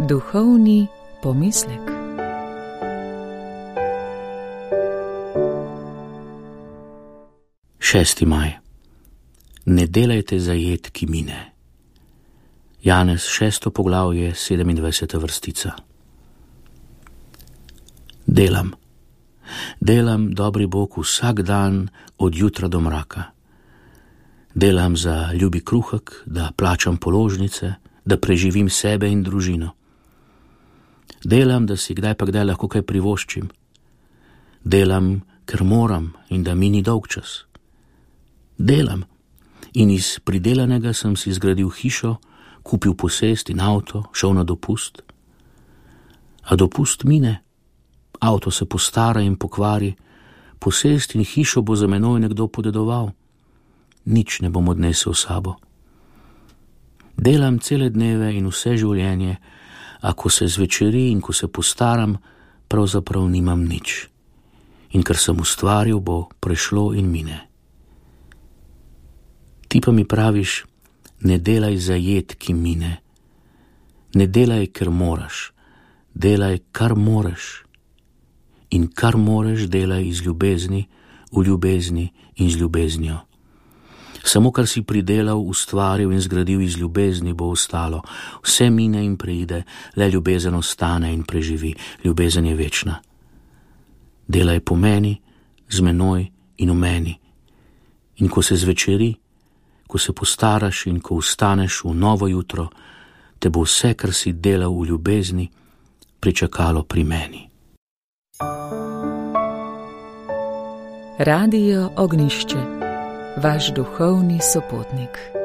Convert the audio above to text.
Duhovni pomislek. Šesti maj. Ne delajte za jed, ki mine. Janez 6. poglavje, 27. vrstica. Delam, dobri Bog, vsak dan od jutra do mraka. Delam za ljubi kruhek, da plačam položnice, da preživim sebe in družino. Delam, da si kdaj pa kdaj lahko kaj privoščim. Delam, ker moram in da mi ni dolgčas. Delam in iz pridelanega sem si zgradil hišo, kupil posest in avto, šel na dopust. A dopust mine, avto se postara in pokvari, posest in hišo bo za menoj nekdo podedoval. Nič ne bom odnesel sabo. Delam cele dneve in vse življenje, a ko se zvečeri in ko se postaram, pravzaprav nimam nič. In kar sem ustvaril, bo prešlo in mine. Ti pa mi praviš, ne delaj za jed, ki mine. Ne delaj, ker moraš. Delaj, kar moraš. In kar moraš, delaj iz ljubezni, v ljubezni in z ljubeznijo. Samo kar si pridelal, ustvaril in zgradil iz ljubezni, bo ostalo. Vse mine in preide, le ljubezen ostane in preživi. Ljubezen je večna. Delaj po meni, z menoj in v meni. In ko se zvečeri, ko se postaraš in ko vstaneš v novo jutro, te bo vse, kar si delal v ljubezni, pričakalo pri meni. Radio Ognjišče, vaš duhovni sopotnik.